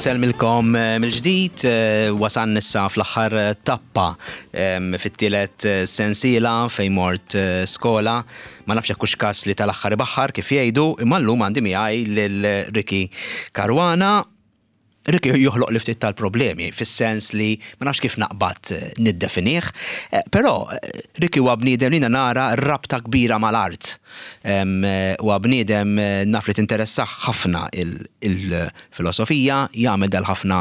Insellmilkom eh, mill-ġdid, eh, wasan issa fl-aħħar eh, tappa fit-tielet sensiela fejn mort skola. Ma nafx hekk hux każ li tal-aħħar ibaħħar kif jgħidu, imma llum għandi miegħi lil Ricky Caruana. Ricky joħloq li ftit tal-problemi, fis-sens li ma nafx kif naqbad niddefinih, però Ricky huwa bniedem li jiena nara rabta kbira mal-art. Huwa bniedem naf li tinteressah ħafna il-filosofija, jagħmel dal-ħafna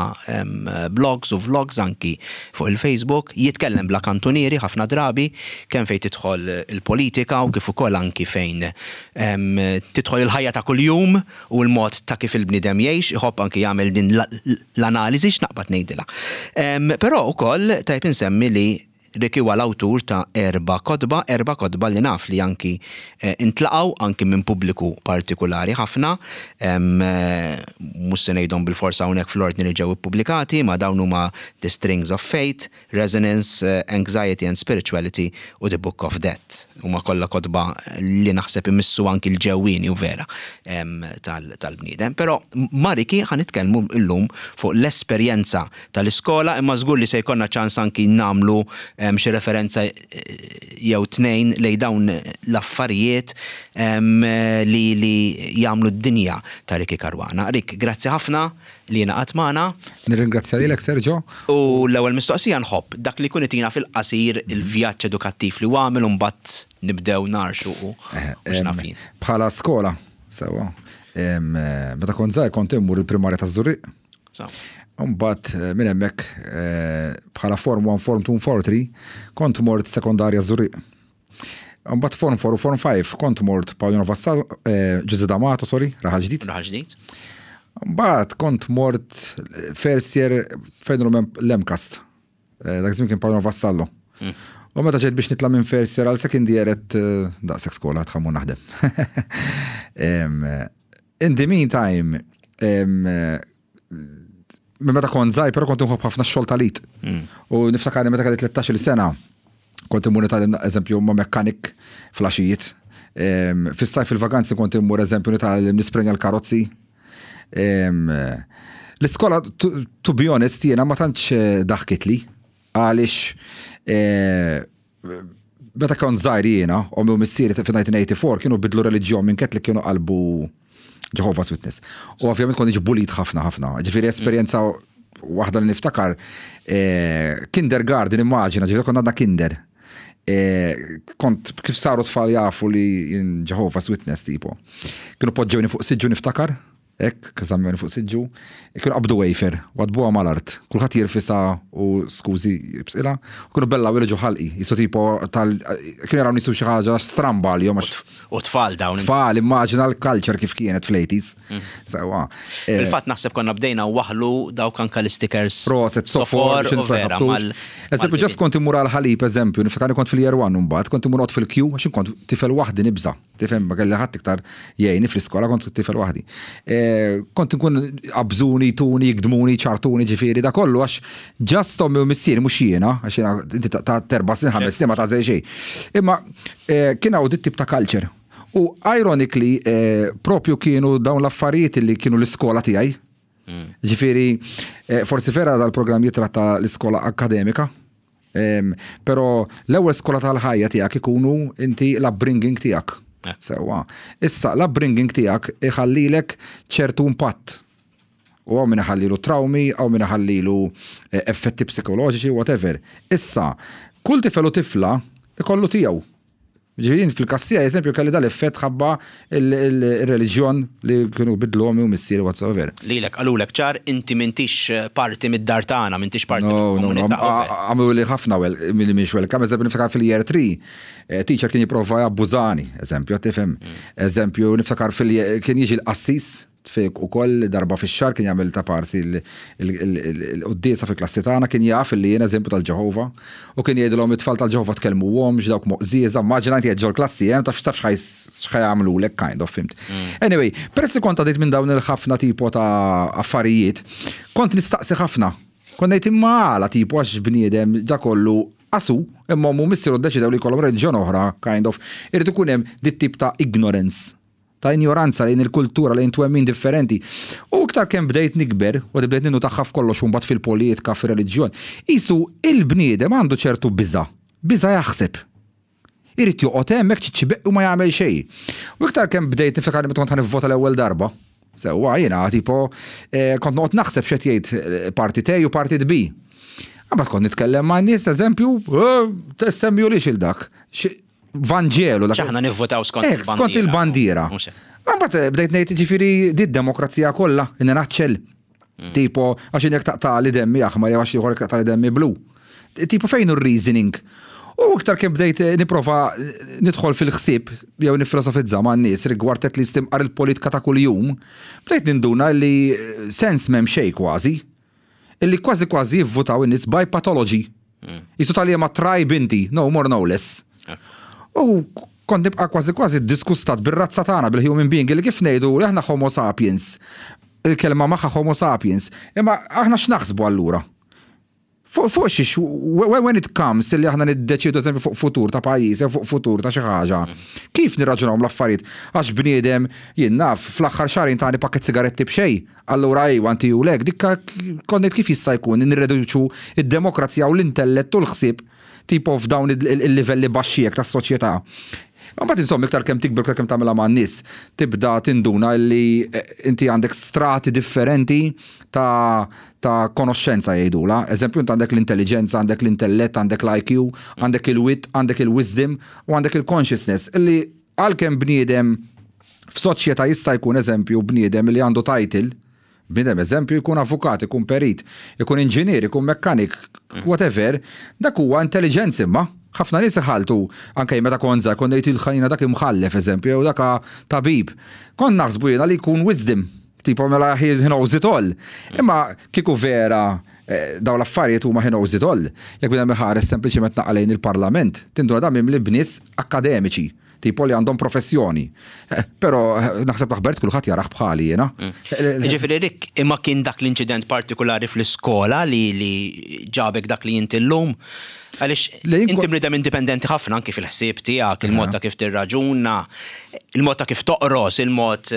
blogs u vlogs anki fuq il-Facebook, jitkellem bla kantunieri ħafna drabi, kemm fejn tidħol il-politika u kif ukoll anki fejn tidħol il-ħajja ta' kuljum u l-mod ta' kif il-bniedem jgħix, iħobb anki jagħmel din l-analiżi x'naqbad ngħidilha. Però wkoll tajjeb insemmi li Ricky huwa l-awtur ta' erba' kotba, erba' kotba li naf li anki ntlaqgħu anki minn pubbliku partikulari ħafna. Mhux se ngħidhom bilfors hawnhekk fl-ordni li ġew ippubblikati, ma dawn huma The Strings of Fate, Resonance, Anxiety and Spirituality u The Book of Death. Huma kollha kotba li naħseb imissu anki l-ġewwieni u vera tal-bniedem. Però ma' Ricky ħa nitkellmu llum fuq l-esperjenza tal-iskola imma żgur li se jkollna ċans anki nagħmlu xi referenza jew tnejn lejn dawn l-affarijiet li li jagħmlu d-dinja ta' Ricky Caruana. Rick, grazzi ħafna li ingħaqadt magħna. Nirringrazzja lilek Sergio. U l-ewwel mistoqsija nħobb dak li jkun itina fil-qasir il-vjaġġ edukattiv li għamel u mbagħad nibdew narxu u x'naf jien. Bħala skola, sewwa. Meta kont żgħir kont immur il-primarja taż-Żurrieq. Mbagħad eh, minn hemmhekk eh, bħala Form 1, Form 2, Form 3 kont mort sekondarja Żurrieq. Mbagħad Form 4 u Form 5 kont mort Paolino Vassal, eh, Ġużè D'Amato, sorry, Raħal Ġdid. Raħal Ġdid. Mbagħad kont mort first year fejn l-MCAST. Dak żmien kien Paolo Vassallo. Mm. U meta ġejt biex nitla' minn first year għal second year qed daqshekk skola tħammu naħdem. In the meantime, minn meta kont żgħir, però kont nħobb ħafna x-xogħol tal-id. Mm. U niftakar meta kelli 13-il sena, kont immur nitgħallem eżempju ma' mekkanik flaxijiet. Fis-sajf fil-vaganzi kont immur eżempju nitgħallem nisprenja l-karozzi. L-iskola, to be honest, jiena ma tantx eh, daħkitli għaliex eh, meta kont żgħir jiena, ommi u missieri fi-1984 kienu bidlu reliġjon minn Catholic kienu qalbu Jehovah's Witness. U ovvjament kont niġi bullied ħafna ħafna. Ġifieri esperjenza waħda li niftakar eh, kindergarten immaġina, ġifieri kont għandna kinder. Eh, kont kif saru tfal jafu li jien Jehovah's Witness tipo. Kienu poġġewni fuq siġġu niftakar, hekk, żammewni fuq siġġu, kienu qabdu wafer, wadbuha mal-art, kulħadd jirfisha u skużi jibsqilha, u kienu bellaw ġo ħalqi, jisu tipo tal kienu jaraw nisu xi ħaġa stramba għalihom għax U tfal dawn. Tfal, immaġina l-culture kif kienet fl-80s. Mm. Sewa. Eh, Fil-fatt naħseb konna bdejna waħlu dawk anka l-stickers. Proset, sofor, u vera. Eżempju, ġast kont immur għal-ħalib, eżempju, niftakar kont fil-year one mbagħad, kont immur fil-kju, għax kont tifel waħdi nibża. Tifhem ma kelli ħadd iktar jgħinni fl-iskola kont tifel waħdi. Eh, kont nkun abżuni, tuni, jgdmuni, ċartuni, ġifieri da kollu għax ġast ommi u missieri mhux jiena, għax jiena inti ta' terba' snin ħames snin ma ta' xejn. Imma eh, kien hawn dit tip ta' culture. U ironically, eh, propju kienu dawn l-affarijiet li kienu l-iskola tiegħi. Mm. Ġifieri, forsi vera dal-programm jitratta l-iskola akademika, Però l-ewwel skola tal-ħajja tiegħek ikunu inti l-upbringing tiegħek. Eh. Sewwa. Issa l-upbringing tiegħek iħallilek ċertu impatt. U hawn min iħallilu trawmi, hawn min iħallilu eh, effetti psikoloġiċi, whatever. Issa, kull tifel u tifla ikollu tiegħu. Ġifieri fil-każ tiegħi eżempju kelli dal-effett ħabba il-reliġjon li kienu bidlu ommi u missieri whatsoever. Lilek qalulek ċar inti m'intix parti mid-dar tagħna, m'intix parti mill-komunità. Għamlu li ħafna milli mhix welcome, eżempju niftakar fil-year 3, eh, teacher kien jipprova jabbużani, eżempju, tifhem. Mm. Eżempju, niftakar fil kien jiġi l-qassis Fik ukoll darba fix-xahar kien jagħmel ta' parsi l-quddiesa fil-klassi tagħna kien jaf li jien eżempju tal-Ġeħova u kien jgħidilhom it-tfal tal-Ġeħova tkellmuhomx dawk moqżieża, immaġina inti qed ġol-klassi hemm taf taf x'ħa jagħmlulek kind of fimt. Mm. Anyway, peress li kont għaddejt minn dawn il-ħafna tipo ta' affarijiet, kont nistaqsi ħafna. Kont ngħid imma għala tipo għax bniedem da kollu qasu imma ommu missieru ddeċidew li jkollhom reliġjon oħra kind of irid ikun hemm dit tip ta' ignorance. Ta' injoranza lejn il-kultura, lejn twemmin differenti. U iktar kemm bdejt nikber, u bdejt ninnutaha f'kollox u mbagħad fil-politika, fir-reliġjon, qisu il-bniedem għandu ċertu biża', biża' jaħseb. Irid joqgħod hemm hekk ċiċċibeq u ma jagħmel xejn. U iktar kemm bdejt niftakar meta kont ħa nivvota l-ewwel darba, sewwa jiena tipo kont noqgħod naħseb x'qed jgħid partit A u partit B. Imbagħad kont nitkellem ma' nies, eżempju, semmihulix il dak. Vanġelu. Aħna nivvotaw skont il-bandiera. Skont il-bandiera. Mbagħad bdejt ngħid ġifieri di d-demokrazija kollha, in a nutshell. Tipo, għax jien jekk taqtagħli demmi aħmar jew għax ieħor jekk taqtagħli demmi blu. Tipo fejn hu r-reasoning? U iktar kemm bdejt nipprova nidħol fil-ħsieb jew nifilosofizza man-nies rigward at least imqar il-politika ta' kuljum, bdejt ninduna li sens m'hemm xejn kważi. Illi kważi kważi jivvutaw in-nies by pathology. Qisu ta' liema tribe inti, no more no less. U kont nibqa' kważi kważi ddiskustat bir-razza tagħna, bil-human being, illi kif ngħidu li aħna homo sapiens, il-kelma magħha homo sapiens, imma aħna x'naħsbu allura? Fuq fuq xiex, when it comes illi aħna niddeċiedu eżempju fuq futur ta' pajjiż jew fuq futur ta' xi ħaġa, kif nirraġunaw l-affarijiet? Għax bniedem, jien naf, fl-aħħar xahrejn tani pakket sigaretti b'xejn, allura ejwa inti u lek, dik kont ngħid kif jista' jkun nirreduċu d-demokrazija u l-intellett u l-ħsieb tipo f'dawn il-livelli baxxi hekk tas-soċjetà. Imbagħad insomma iktar kemm tikber iktar kemm tagħmilha man-nies, tibda tinduna li inti għandek strati differenti ta' ta' konoxxenza jgħidulha. Eżempju int għandek l-intelliġenza, għandek l-intellett, għandek l-IQ, għandek il-wit, għandek il-wisdom u għandek il-consciousness illi għalkemm bniedem f'soċjetà jista' jkun eżempju bniedem li għandu title, bniedem eżempju jkun avukat, ikun perit, ikun inġinier, ikun mekkanik, whatever, dak huwa intelliġenza imma. Ħafna nies iħalltu, anke jien meta kont żgħir kont ngħid il-ħajna dak imħallef eżempju jew dak tabib. Kont naħsbu jiena li jkun wisdom, tipo mela he knows it all. Imma kieku vera dawn l-affarijiet huma he knows it all, jekk bniedem iħares sempliċement naqa' lejn il-parlament, tinduna dan mimli b'nies akkademiċi. Tipo li għandhom professjoni. Però naħseb l-aħbarijiet kulħadd jarah bħali jiena. Jiġifieri Rick, imma kien dak l-inċident partikulari fl-iskola li li ġabek dak li inti llum? Għaliex inti bniedem indipendenti ħafna anki fil-ħsieb tiegħek, il-mod ta' kif tirraġuna, il-mod ta' kif toqros, il-mod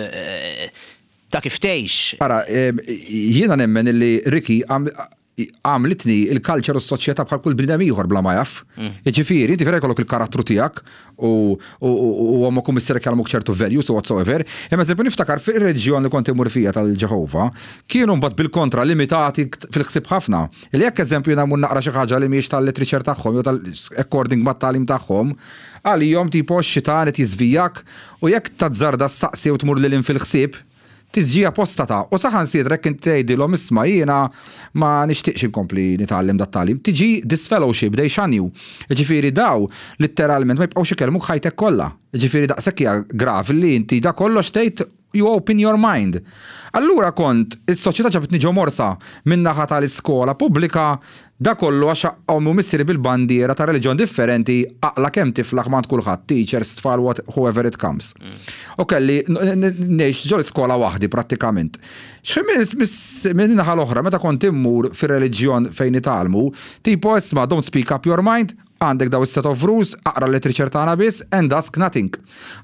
ta' kif tgħix. Ara, jiena nemmen illi Ricky għamlitni il-culture u s-soċjetà bħal kull bniedem ieħor bla ma jaf. Jiġifieri, inti vera jkollok il-karattru tiegħek u u ommok u missierek jgħallmuk ċertu values u whatsoever. Imma eżempju niftakar fir-reliġjon li kont immur fija tal-Ġeħova, kienu mbagħad bil-kontra limitati fil-ħsieb ħafna. Li jekk eżempju jiena mmur naqra xi ħaġa li mhijiex tal-literature tagħhom jew tal according mat-tagħlim tagħhom, għalihom tipo x-xitan qed jiżvijak u jekk tazzarda ssaqsi u tmur lil hinn fil-ħsieb, Tiġi apostata u saħansitra jekk inti tgħidilhom isma' jiena ma nixtieqx inkompli nitgħallem dat-tagħlim, tiġi disfellowship, they shun you. Jiġifieri daw litteralment ma jibqgħux ikellmuk ħajtek kollha. Jiġifieri daqshekk hija gravi li inti da kollox tgħid you open your mind. Allura kont, is-soċjetà ġabitni ġo morsa min-naħa tal-iskola pubblika Da kollu għax ommi u missieri bil-bandiera ta' reliġjon differenti aqla' kemm tiflaħ m'għand kulħadd, teachers, tfal, what, whoever it comes. U kelli ngħix ġol-iskola waħdi prattikament. Minn naħa l-oħra meta kont immur fir-reliġjon fejn nitgħallmu, tipo isma' don't speak up your mind, Għandek daw is-set of rules, aqra l-literature tagħna biss and ask nothing.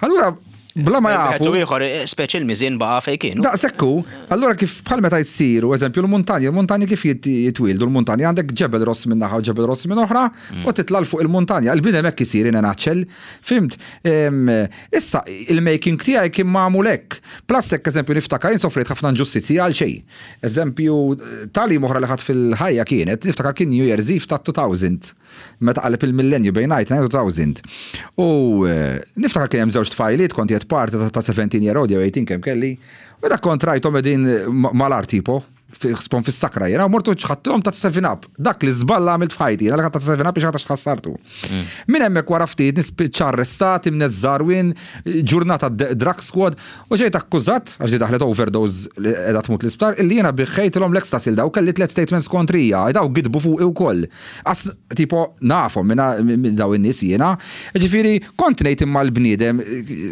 Allura bla ma jafu. Wieħed u ieħor, speċi l-miżien baqa' fejn kien. Daqshekk hu. Allura kif bħal meta jsiru, eżempju, l-muntanji, l-muntanji kif jitwieldu l-muntanji għandek ġebel ross minn naħa u ġebel ross minn oħra mm. u titla' fuq il-muntanja. Il-bniedem hekk isir in a nutshell. Fimt? Issa il-making tiegħi kien magħmul hekk. Plus hekk eżempju niftakar jien sofrejt ħafna inġustizzji għal xejn. Eżempju, tagħlim oħra li ħadt fil-ħajja kienet, niftakar kien New Year's Eve ta' 2000, meta qaleb il-millenju bejn 99 u 2000. U eh, niftakar kien hemm żewġ tfajliet kont qed parti ta' 17 year old jew 18 kemm kelli, u dak kont rajthom qegħdin mal-art tipo, spon fis-sakra jiena, u mortu ċħattilhom ta' 7 up. Dak li żball għamilt f'ħajti, jiena li ħadd ta' 7 up biex ħadd tħassartu. Mm. Minn hemmhekk wara ftit nispiċċa arrestat, imneżżarwin, ġurnata drug squad, U ġejt akkużat, għax di daħlet overdose li qiegħda tmut l-isptar, illi jiena biħħejtilhom l-ecstasy 'l daw, kelli tlett statements kontrija, daw gidbu fuqi wkoll. As, tipo, nafhom minn daw in-nies jiena. Ġifieri, kont ngħid imma l-bniedem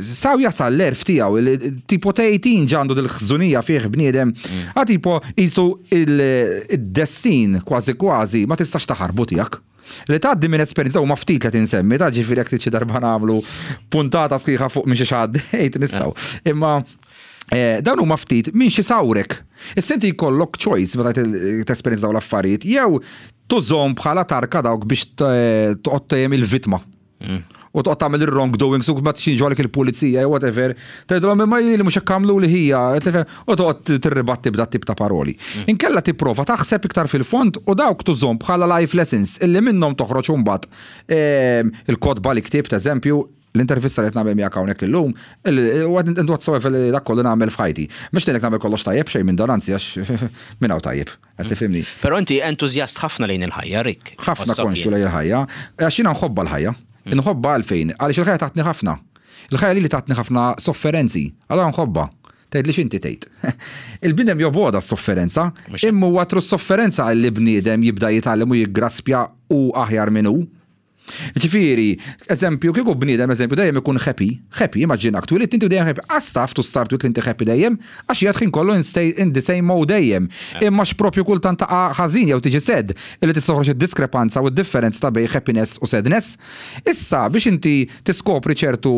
saw jasal l-għerf tiegħu, tipo tgħid ġa għandu dil-ħżunija fih bniedem. A tipo, qisu id-destin kważi kważi ma tistax taħarbu tiegħek. Li tgħaddi minn esperjenza huma ftit li tinsemmi, ta' ġifieri jekk xi darba nagħmlu puntata sħiħa fuq minn xi għaddejt nistgħu. Imma eh, dawn huma ftit minn xi sawrek. Issa inti jkollok choice meta tesperjenza dawn l-affarijiet jew tużhom bħala tarka dawk biex toqgħod tgħem il-vittma. U toqgħod tagħmel ir-wrongdoings u ma tixinġu għalik il-pulizija jew whatever, tgħidilhom imma jien li mhux hekk għamlu li ħija, u toqgħod tirribatti b'dat tip ta' paroli. Mm. Inkella tipprova taħseb iktar fil-fond u dawk tużhom bħala life lessons illi minnhom toħroġ imbagħad ehm, il-kotba li ktibt eżempju l-intervista li qed nagħmel miegħek hawnhekk illum, whatsoever li dak kollu nagħmel f'ħajti. Mhux ngħidlek nagħmel kollox tajjeb xejn minn dan anzi għax minn hawn tajjeb. Qed tifhimni? Però inti entużjast ħafna lejn il-ħajja, Rick. Ħafna konxju lejn il-ħajja. Għax jiena nħobbha l-ħajja. Mm. Nħobbha għalfejn? Għaliex il-ħajja tatni ħafna. Il-ħajja lili tatni ħafna sofferenzi. Allura nħobbha. Tgħidli x'inti tgħid. Il-bniedem jobgħodha s-sofferenza, imma huwa tru s-sofferenza li bniedem jibda jitgħallem u jiggraspja u aħjar minn hu. Ġifieri, eżempju, kieku bniedem, eżempju, dejjem ikun happy, happy, immaġinak, twilidt inti u dejjem happy, qas taf to start with li inti happy dejjem, għax qiegħed ħin kollu in stay in the same mode dejjem. Imma x'propju kultant taqa' ħażin jew tiġi sad, illi tista' toħroġ id-diskrepanza u d-differenza ta' bejn happiness u sadness. Issa, biex inti tiskopri ċertu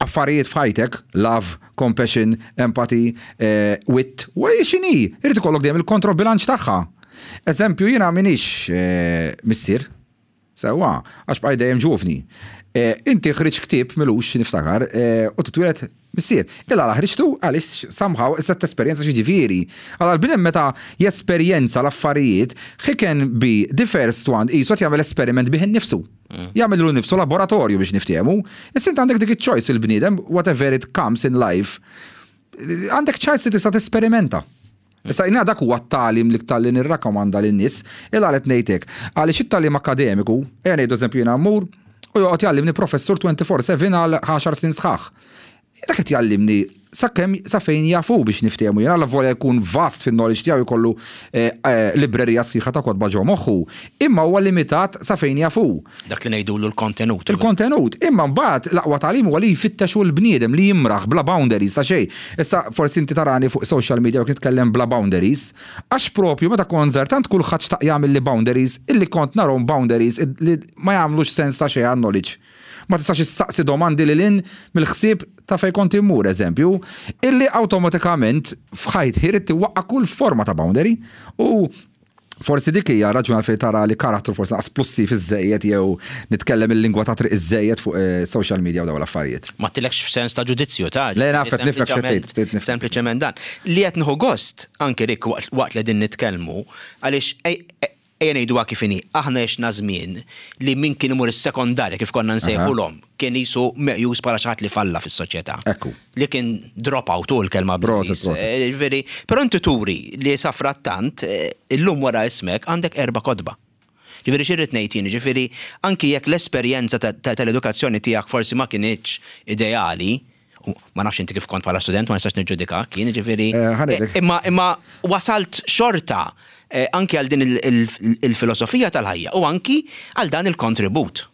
affarijiet f'ħajtek, love, compassion, empathy, eh, wit, u x'inhi, irid ikollok dejjem il-kontrobilanċ tagħha. Eżempju, jiena m'iniex eh, missier, Sewwa, għax bqajt dejjem ġuvni. Eh, inti ħriġt ktieb milux niftakar eh, u titwieled missier. Il għala ħriġtu għaliex somehow issa tesperjenza xi ġifieri. Għala l-bniedem meta jesperjenza l-affarijiet, he can be the first one qisu qed jagħmel esperiment bih innifsu. Mm. Jagħmel lilu nnifsu laboratorju biex niftehmu. Issa int għandek dik iċ-choice il-bniedem, whatever it comes in life, għandek choice li tista' tesperimenta. Issa jiena dak huwa t-tagħlim l-iktar li nirrakkomanda lin-nies, il għal qed ngħid hekk. Għaliex it-tagħlim akkademiku, ejja ngħidu eżempju jiena mmur u joqgħod jgħallimni professur 24/7 għal għaxar snin sħaħ. Dak qed jgħallimni sakemm sa fejn jaf hu biex niftehmu jien allavolja jkun vast fin-knowledge tiegħu jkollu eh, eh, librerija sħiħa ta' kotba ġo moħħu, imma huwa limitat sa fejn jaf hu. Dak li ngħidulu l-kontenut. Il-kontenut. Imma mbagħad l-aqwa tagħlim huwa li jfittex hu l-bniedem li jimraħ bla boundaries ta' xejn. Issa forsi inti tarani fuq social media u nitkellem bla boundaries, għax propju meta kont żgħir tant kulħadd xtaq jagħmilli boundaries illi kont narhom boundaries li ma jagħmlux sens ta' xejn għan-knowledge. Ma tistax issaqsi domandi lil hinn mill-ħsieb ta' fejn kont immur, eżempju, illi awtomatikament f'ħajti ridt iwaqqa' kull forma ta' boundary u Forsi dik hija raġuni għalfejn tara li karattru forsi naqas plussiv iżżejjed jew nitkellem il-lingwa ta' triq iżżejjed fuq eh, social media u dawn l-affarijiet. Ma tilekx f'sens ta' ġudizzju ta' Le naf qed nifhmek x'qed tgħid. Sempliċement dan. Li qed nieħu gost anke Rick waqt li din nitkellmu għaliex ejja ngħiduha kif inhi, aħna għexna żmien li min kien imur is-sekondarja kif konna nsejħulhom kien qisu meqjus bħala xi ħadd li falla fis-soċjetà. Ekku. Li kien drop out hu l-kelma bl-Ingliż. Proset, proset. Ġifieri, però inti turi li safrattant illum wara ismek għandek erba' kotba. Ġifieri xi rrid ngħid jien, ġifieri anki jekk l-esperjenza tal-edukazzjoni tiegħek forsi ma kinitx ideali, u ma nafx inti kif kont bħala student, ma nistax niġġudikak jien, ġifieri. Ħa ngħidlek. Imma imma wasalt xorta anki għal din il-filosofija tal-ħajja u anki għal dan il-kontribut.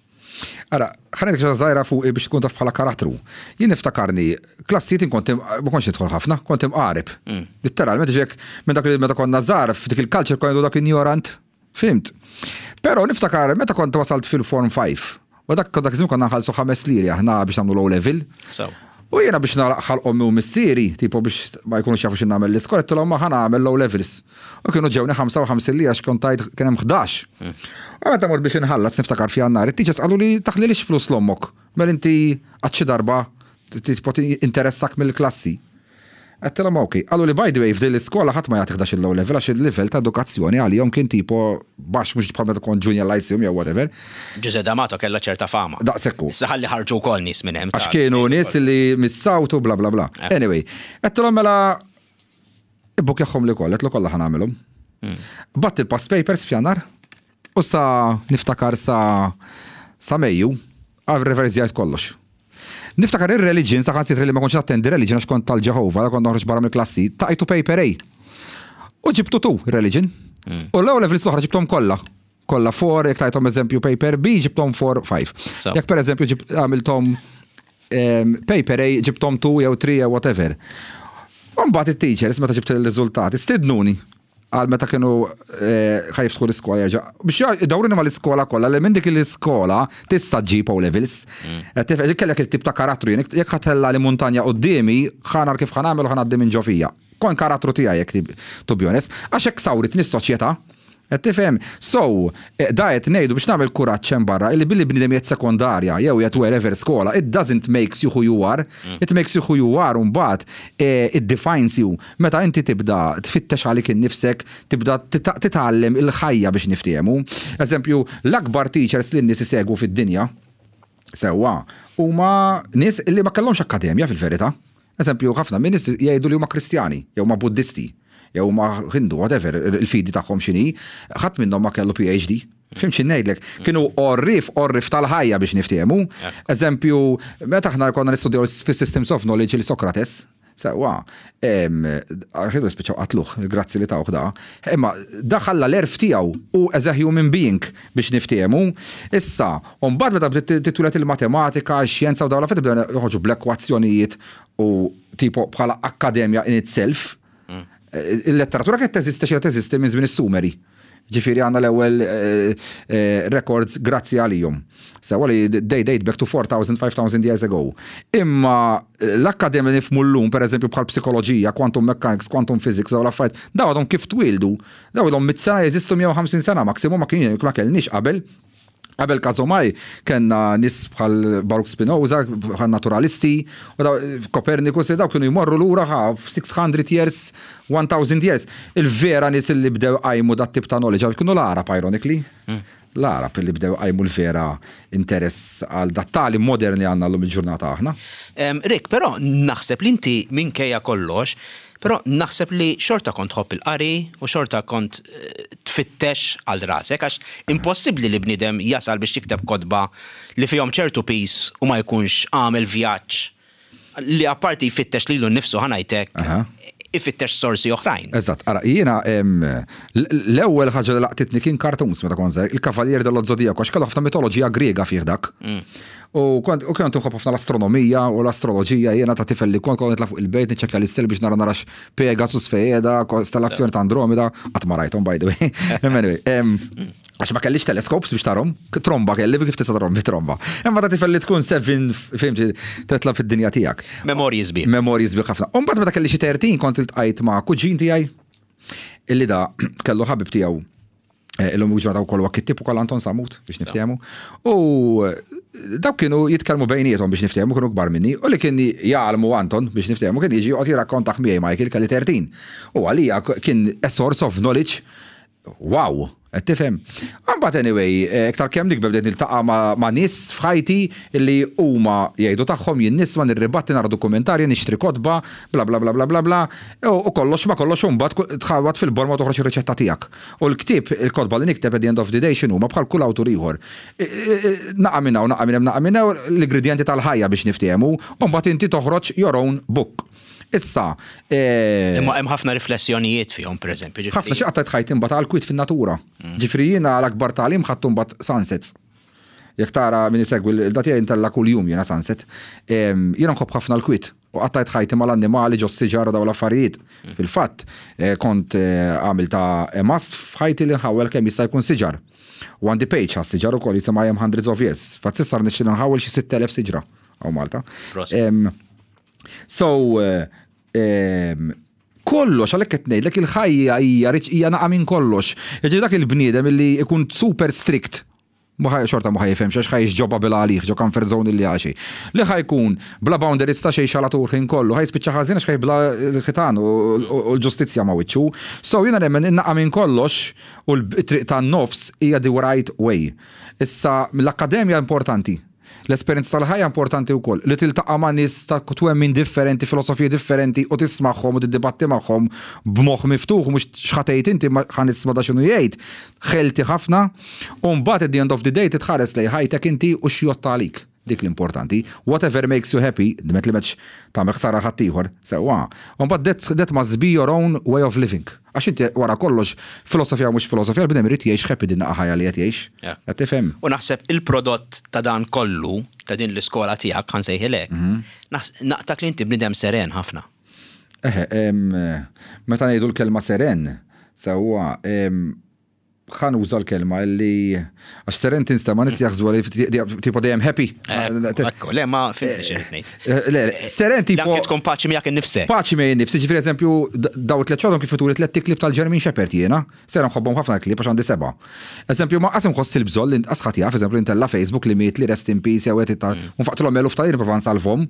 Ara, ħa ngħidlek xi żgħira fuqi biex tkun taf bħala karattru. Jien niftakarni, klassijiet kont ma kontx nidħol ħafna, kont imqareb. Mm. Litteralment ġek minn dak li meta konna żgħar f'dik il-culture konna dak ignorant. Fimt? Però niftakar meta kont wasalt fil-form 5, u dak dak żmien konna nħallsu ħames liri aħna biex nagħmlu low level. U jiena biex nagħlaq ħalq ommi u missieri, tipo biex ma jkunux jafu x'in nagħmel l-iskola, għedtilhom ma ħa nagħmel low levels. U kienu ġewni 55 lira għax kont tajt kien hemm 11. U meta mort biex inħallas niftakar f'Jannar, it-teachers qaluli taħlilix flus l-ommok. Mela inti qatt xi darba tipo interessak mill-klassi. Għedtilhom ok. Qaluli by the way f'din l-iskola ħadd ma jagħti 11 il-O level għax il-livell ta' edukazzjoni għalihom kien tipo baxx mhux bħal meta kont junior lyceum jew whatever. Ġużè D'Amato kellha ċerta fama. Daqshekk hu. Issa ħalli ħarġu wkoll nies minn hemm. Għax kienu nies li mis-South u bla bla bla. Anyway, għedtilhom mela ibbukjahom li kollha, għedtlu kollha ħa nagħmilhom. Batt il-past papers f'Jannar u sa niftakar sa sa Mejju reverżjajt kollox. Niftakar ir-religion, saħansitra li ma kontx nattendi religion għax kont tal-Ġeħova, kont noħroġ barra mill-klassi, tajtu paper A. U ġibtu tu religion. Mm. U l-O levels l-oħra ġibtom kollha. Kollha 4, jekk tajtom eżempju paper B, ġibtom 4, 5. Jekk per eżempju għamiltom paper A, ġibtom 2 jew 3 jew whatever. Mbagħad it-teachers meta ġibt il-riżultati, stidnuni. Għal meta kienu eh, ħa jiftħu l-iskola jerġa'. Biex idawruni mal-iskola kollha li minn dik l-iskola tista' ġġib O levels. Mm. Kellek il-tip ta' karattru jien jekk ħa ttella' li muntanja quddiemi, ħa nara kif ħa nagħmel u ħa ngħaddi minn ġo fija. Kon karattru tiegħi jekk to be honest, għax hekk sawritni s-soċjetà. Qed tifhem? So, eh, da qed ngħidu biex nagħmel kuraġġ hemm barra illi billi bniedem qiegħed sekondarja jew qiegħed wherever skola, it doesn't makes you who you are. Mm. It makes you who you are u mbagħad eh, it defines you. Meta inti tibda tfittex għalik innifsek, tibda titgħallem il-ħajja biex niftehmu. Eżempju, l-akbar teachers li n-nies isegwu fid-dinja, sewwa, huma nies li ma kellhomx akkademja fil-verità. Eżempju, ħafna minn nies jgħidu li huma Kristjani, jew huma Buddisti, jew huma Hindu, whatever, il-fidi tagħhom x'inhi, ħadd minnhom ma kellu PhD. Fhimt xi ngħidlek? Kienu għorrief, għorrief tal-ħajja biex niftehmu. Eżempju, meta aħna konna nistudjaw fis-Systems of Knowledge il Socrates, sewwa, għax spiċċaw qatluh, grazzi li tawh da, imma da ħalla l-għerf tiegħu u as a human being biex niftehmu. Issa, u mbagħad meta bdiet titwieled il-matematika, x-xjenza u dawn l-affarijiet bdew joħorġu bl-ekwazzjonijiet u tipo bħala akkademja in itself. Mm. Il-letteratura kienet teżisti xi teżisti minn żmien is-Sumeri. Ġifieri għandna l-ewwel eh, eh, records grazzi għalihom. Sewa li they date back to 4,000, 5,000 years ago. Imma eh, l-akkademja nifhmu llum, per eżempju, bħal psikoloġija, quantum mechanics, quantum physics, dawn l-affarijiet, dawn għadhom kif twildu. Dawn ilhom mit sena jeżistu 150 sena maksimum ma kien ma kellniex qabel. Qabel Kazomaj kellna nies bħal Baruch Spinoza, bħal naturalisti, u daw, Copernicus, daw kienu jmorru lura ħa 600 years, 1000 years. Il-vera nies li bdew qajmu dat tip ta' knowledge kienu l-Arab, ironically. Mm. L-Arab li bdew qajmu l-vera interess għal dat tali modern li għandna llum il-ġurnata aħna. Rick, però naħseb li inti minkejja kollox, Però naħseb li xorta kont tħobb il-qari u xorta kont eh, tfittex għal rasek għax impossibbli li bniedem jasal biex jikteb kotba li fihom ċertu piż u ma jkunx għamel vjaġġ li apparti jfittex lilu nnifsu ħa ngħidlek ifittex sorsi oħrajn. Eżatt, ara, jiena l-ewwel ħaġa li laqtitni kien cartoons meta kont żgħir, il-Kavallieri dello Zodiaco, għax kellu ħafna mitoloġija Griega fih dak. Mm. U kont u kont nħobb ħafna l-astronomija u l-astroloġija jiena ta' tifel li kont kont nitla' fuq il-bejt niċċekkja l-istel biex nara narax Pegasus fejeda, kostellazzjoni ta' Andromeda, qatt ma rajthom by the way. Anyway, għax ma kellix telescopes biex tarhom, tromba kelli kif tista' tarhom bi tromba. Imma ta' tifel li tkun seven, fimti, tetla' fid-dinja tiegħek. Memorji sbieħ. Memorji sbieħ ħafna. U mbagħad meta kelli xi 13 kont iltqajt ma' kuġin tiegħi illi da kellu ħabib tiegħu eh, illum ġurnata wkoll huwa kittib ukoll Anton Samut biex niftehmu. U eh, dawk kienu jitkellmu bejniethom biex niftehmu kienu kbar minni u li kien jgħallmu Anton biex niftehmu kien jiġi joqgħod jirrakkontaħ miegħi Michael kelli 13. U għalija kien a source of knowledge wow, qed tifhem. Imbagħad anyway, eh, iktar kemm nikber bdejt niltaqa' ma' nies f'ħajti li huma jgħidu tagħhom jien nisma' nirribatti nara dokumentarji, nixtri kotba, bla bla bla bla bla bla, u kollox ma kollox u mbagħad tħawwad fil-borma u toħroġ ir-riċetta tiegħek. U l-ktieb, il-kotba li nikteb at the end of the day x'inhuma bħal kull awtur ieħor. Naqa' minn hawn, naqa' minn hemm, naqa' minn hawn, l-ingredjenti tal-ħajja biex niftehmu, u mbagħad inti toħroġ your own book. Issa. Imma hemm ħafna riflessjonijiet fihom, pereżempju. Ħafna xi qattajt ħajti mbagħad għall-kwiet fin-natura. Ġifieri jiena l-akbar tagħlim ħadtu mbagħad sunsets. Jekk tara min isegwi l-da tiegħi ntella' kuljum jiena sunset. Jiena nħobb ħafna l-kwiet u qattajt ħajti mal-annimali ġo s-siġar u dawn l-affarijiet. Fil-fatt, kont għamiltha a must f'ħajti li nħawwel kemm jista' jkun siġar. U għandi page għas-siġar ukoll jisimha I am hundreds of years. Fatt s'issa rnexxieli nħawwel xi 6,000 siġra hawn Malta. So, kollox, għalhekk qed ngħidlek il-ħajja hija hija naqa' minn kollox. Jiġifieri dak il-bniedem illi jkun super strict xorta ma ħa jifhemx għax ħa jgħix ġo bubble għalih, ġo comfort zone illi għaxi. Li ħa jkun bla boundaries ta' xejn xalatur ħin kollu, ħa jispiċċa ħażin għax ħa jibla l-ħitan u l-ġustizzja ma' wiċċu. So jiena nemmen in-naqa' minn kollox u l-triq tan-nofs hija the right way. Issa l-akkademja importanti. L-esperjenza tal-ħajja importanti wkoll, li tiltaqa' ma' nies ta' twemmin differenti, filosofiji differenti u tismagħhom u tiddibatti magħhom b'moħħ miftuħ u mhux x'ħa tgħid inti imma ħa nisma' da x'inhu jgħid, healthy ħafna u mbagħad at the end of the day titħares lejn ħajtek inti u x'jgħodd għalik. Dik l-importanti. Whatever makes you happy, dment li m'qedx tagħmel ħsara għal ħaddieħor, sewwa. U mbagħad that, that must be your own way of living. Għax inti wara kollox, filosofija u mhux filosofija, l-bniedem irid jgħix happy din naqa' ħajja li qed jgħix. Qed tifhem? U naħseb il-prodott ta' dan kollu, ta' din l-iskola tiegħek, ħa nsejħilek, naqtak li inti bniedem seren ħafna. Eħe, meta ngħidu l-kelma seren, Sewwa, ħa nuża l-kelma li għax seren tinstema' nies jaħsbu li tipo dejjem happy. Ekku, le ma fimtx x'irrid ngħid. Le, seren tipo. Anke tkun paċi miegħek innifsek. Paċi miegħi nnifsi, ġifieri eżempju daw it-tliet xogħolhom kif ituli tlett iklib tal-German Shepherd jiena, sera nħobbhom ħafna l-klieb għax għandi sebgħa. Eżempju ma qas inħoss il-bżonn li qas ħadd jaf eżempju li ntella' Facebook li miet li rest in peace jew qed u nfaqtilhom eluf ta' liri nipprova nsalvhom.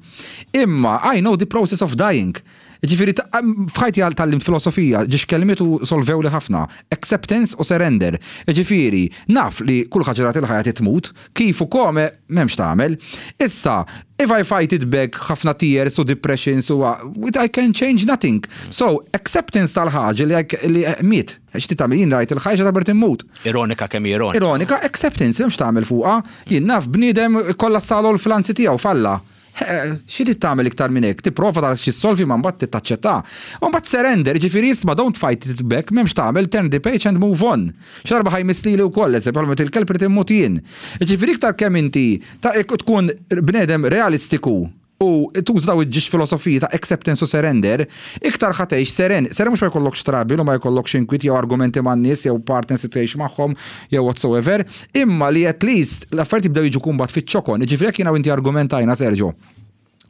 Imma I know the process of dying. Jiġifieri f'ħajti tgħallimt filosofija, ġiex kelmiet u solvewli ħafna, acceptance u surrender. Jiġifieri, naf li kull ħaġa li tagħti l-ħajja trid tmut, kif u come m'hemmx tagħmel. Issa, if I fight it back ħafna tears u depressions u I can change nothing. So, acceptance tal-ħaġa li miet. X'trid tagħmel jien rajt il-ħajja xi darba rrid immut. Ironika kemm hi ironika. Ironika, acceptance, m'hemmx tagħmel fuqha. Jien naf bniedem ikkollassalu l-flanzi tiegħu falla. Xi trid tagħmel iktar minn hekk? Tipprova tara xi ssolvi ma mbagħad trid taċċettha. U mbagħad surrender, jiġifieri isma' don't fight it back, m'hemmx tagħmel, turn the page and move on. Xi darba ħa jmiss lili wkoll, eżempju, bħalma miet il-kelb irid immut jien. Jiġifieri iktar kemm inti tkun bnedem realistiku u tuża dawn iġġiex filosofiji ta' acceptance u surrender, iktar ħa tgħix seren. Seren mhux ma jkollokx trouble u ma jkollokx inkwiet jew argumenti man-nies jew partners li tgħix magħhom jew whatsoever, Imma li at least l-affarijiet jibdew jiġu kumbat fiċ-ċokon, jiġifieri jekk jiena u inti argumentajna Sergio,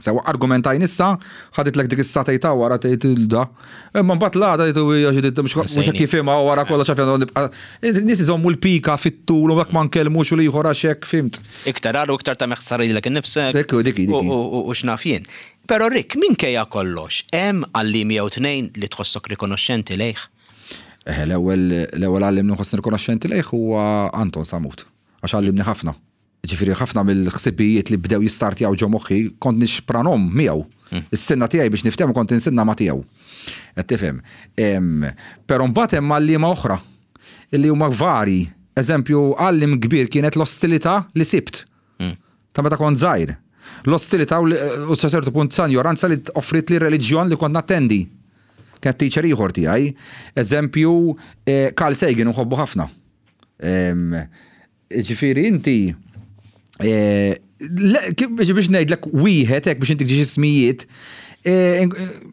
sewwa argumentajn issa, ħaditlek dik is-sagħtej ta' wara tgħid il-da. Imma mbagħad l-għada tgħid u hija xi mhux hekk jifhimha u wara kollox għaf nibqa' Nies iżommu l-pika fit-tul u hekk ma nkellmux u l-ieħor għax hekk fhimt. Iktar agħar u iktar tagħmel ħsara lilek innifsek. Dik dik hi. U x'naf jien. Però Rick, minkejja kollox, hemm għalliem jew tnejn li tħossok rikonoxxenti lejh? Eħe, l-ewwel l-ewwel għalliem li nħossni rikonoxxenti lejh huwa Anton Samut, għax għallimni ħafna. Jiġifieri ħafna mill-ħsibijiet li bdew jistartjaw ġo moħħi kont nixpranhom miegħu. Is-sinna tiegħi biex niftehmu kont insinna ma' tiegħu. Qed tifhem? Però mbagħad hemm għalliema oħra illi huma varji. Eżempju, għalliem kbir kienet l-ostilità li sibt. Ta' meta kont żgħir. L-ostilità u sa ċertu punt sa injoranza li offrietli r-reliġjon li kont nattendi. Kienet teacher ieħor tiegħi. Eżempju, Carl Sagan nħobbu ħafna. Ġifieri inti biex ngħidlek wieħed hekk biex intik ġiex ismijiet,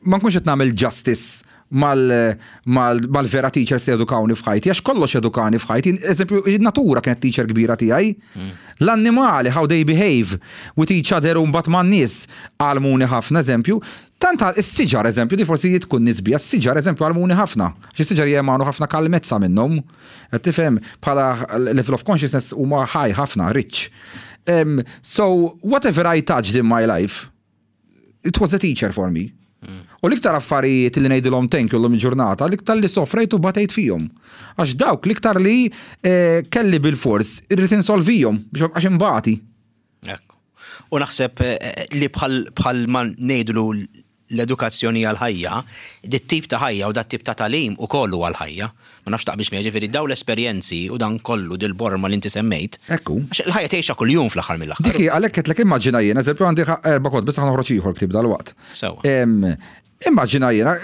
ma nkunx qed nagħmel justice mal-vera teachers li edukawni f'ħajti, għax kollox edukani f'ħajti. Eżempju, natura kienet teacher kbira tiegħi. L-annimali, how they behave with each other u mbagħad man-nies għallmuni ħafna, eżempju. Tant is-siġar, eżempju, di forsi tkun nisbija, s-siġar, eżempju, għallmuni ħafna. Għax is-siġar jemanu ħafna kalmezza minnhom. Qed tifhem bħala level of consciousness huma high ħafna, rich. So, whatever I touched in my life, it was a teacher for me. U l-iktar affarijiet li ngħidilhom thank you llum il-ġurnata, l-iktar li sofrejt u batejt fihom. Għax dawk l-iktar li eh, kelli bil-fors irrid insolvihom biex ma bqax imbati. Ekku. U naħseb eh, li bħal ma ngħidlu l-edukazzjoni għal-ħajja, dit tip ta' ħajja u dat tip ta' tagħlim ukoll huwa l-ħajja. Ma nafx taqbilx miegħi, ġifieri dawn l-esperjenzi u dan kollu dil-borma li inti semmejt. Ekku. Għax il-ħajja tgħixha kuljum fl-aħħar mill-aħħar. Dik hi, għalhekk għedtlek immaġina jien, eżempju għandi erba' kotba, issa ħa noħroġ ieħor ktieb dalwaqt. Sewwa. Immaġina jiena,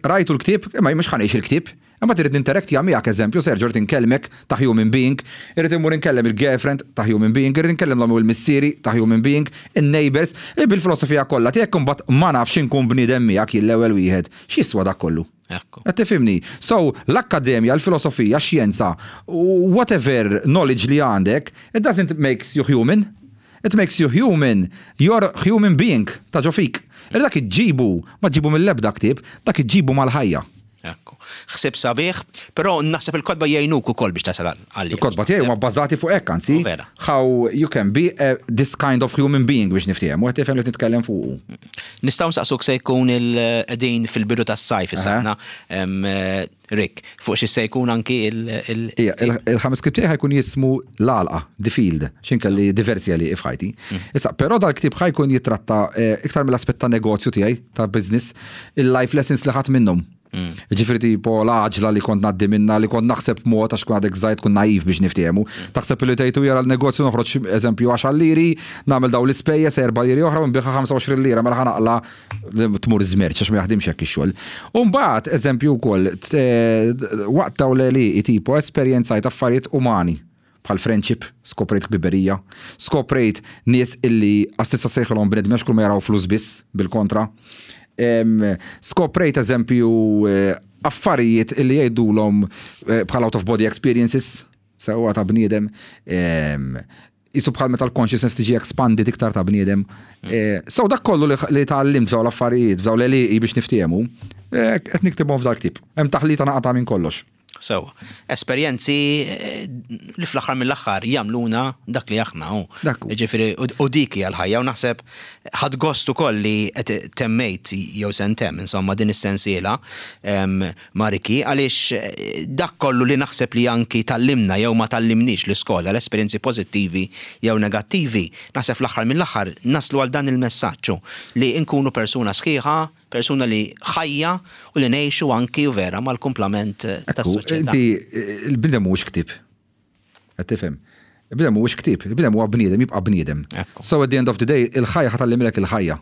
rajtu l-ktieb, imma jien mhux ħa ngħix il-ktieb. Imbagħad irrid ninteraktja miegħek eżempju, Sergio rrid inkellmek ta' human being, irrid immur inkellem il-girlfriend ta' human being, irrid inkellem l-ommi u l-missieri ta' human being, in-neighbours, bil-filosofija kollha tiegħek imbagħad ma nafx inkun bniedem miegħek jien l-ewwel wieħed. X'jiswa dak kollu? Ekku. Qed tifhimni? So, l-akkademja, l-filosofija, x-xjenza, whatever knowledge li għandek, it doesn't makes you human. It makes you human, you're human being ta' ġo fik. Li dak iġġibu, ma ġġibu mill-ebda ktieb, dak iġġibu mal-ħajja. Ekku. Ħsieb sabiħ, però naħseb il-kotba jgħinuk ukoll biex tasal għal. Il-kotba tiegħi huma bbażati fuq hekk, anzi, how you can be a, this kind of human being biex niftehmu, qed tifhem li nitkellem fuqu. Nistgħu nsaqsuk se jkun il-qegħdin fil-bidu tas-sajf issa aħna, Rick, fuq xi se jkun anki il- Ija, il-ħames ktieb tiegħi ħa jkun jismu L-Għalqa, The Field, x'in kelli diversi għalieqi f'ħajti. Issa, però dal-ktieb ħa jkun jittratta iktar mill-aspett ta' negozju tiegħi, ta' business, il-life lessons li ħadt minnhom. Ġifieri tipo l-għaġla li kont ngħaddi minnha, li kont naħseb b'mod għax tkun għadek żgħir tkun naiv biex niftehmu. Taħseb li tgħid u jara l-negozju noħroġ eżempju għaxar liri, nagħmel dawn l-ispejjeż erba' liri oħra u nbigħha 25 lira mela ħa naqla' tmur żmerċ għax ma jaħdimx hekk ix-xogħol. U mbagħad eżempju wkoll waqt dawn l-għelieqi tipo esperjenzajt affarijiet umani. Bħal friendship, skoprejt ħbiberija, skoprejt nies illi qas tista' ssejħilhom bnedmin għax kull ma jaraw flus biss, bil-kontra. Skoprejt eżempju affarijiet illi jgħidulhom eh, bħal out of body experiences, sewwa ta' bniedem, ehm, jisu bħal meta l-consciousness tiġi expanded iktar ta' bniedem. Mm. Eh, so dak kollu li tgħallimt f'dawn l-affarijiet, f'dawn l-għelieqi biex niftiehmu, eh, qed niktibhom f'dal-ktieb. Hemm taħlita naqata' minn kollox. Sewwa. Esperjenzi eh, li fl-aħħar mill-aħħar jagħmluna dak li aħna hu. Dak hu. Ġifieri u dik hija l-ħajja u naħseb ħadt gost ukoll li qed temmejt jew se ntemm insomma din is-sensiela ma' Ricky għaliex eh, dak kollu li naħseb li anki tgħallimna jew ma tgħallimniex l-iskola, l-esperjenzi pożittivi jew negattivi, naħseb fl-aħħar mill-aħħar naslu għal dan il-messaġġ hu li nkunu persuna sħiħa Persuna li ħajja u li ngħixu anki u vera mal-kumplament tas-soċjetà. Inti, il-bniedem mhuwiex ktieb. Qed tifhem? Il-bniedem mhuwiex ktieb, il-bniedem huwa bniedem, jibqa' bniedem. So at the end of the day, il-ħajja ħa tgħallimlek il-ħajja.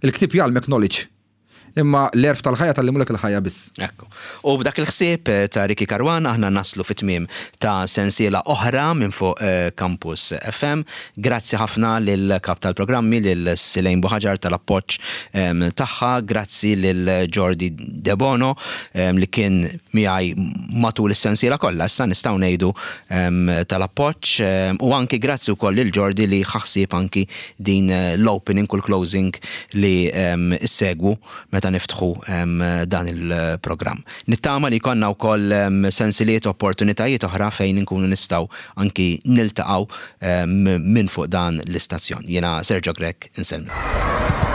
Il-ktieb jgħallmek knowledge. Imma l-għerf tal-ħajja tgħallimulek il-ħajja biss. Ekku. U b'dak il-ħsieb eh, ta' Ricky Caruana aħna naslu fit-tmiem ta' sensiela oħra minn fuq eh, Campus FM. Grazzi ħafna lil kap tal-programmi lil Silejn Buħaġar tal-appoġġ tagħha, grazzi lil Jordi Debono li kien miegħi matul is-sensiela kollha issa nistgħu ngħidu tal-appoġġ u anki grazzi wkoll lil Jordi li ħa ħsieb anki din l-opening u l-closing li ssegwu meta niftħu dan il-programm. Nittama li jkollna wkoll sensiliet opportunitajiet oħra fejn inkunu nistgħu anki niltaqgħu minn fuq dan l-istazzjon. Jiena Sergio Grech insellmilkom.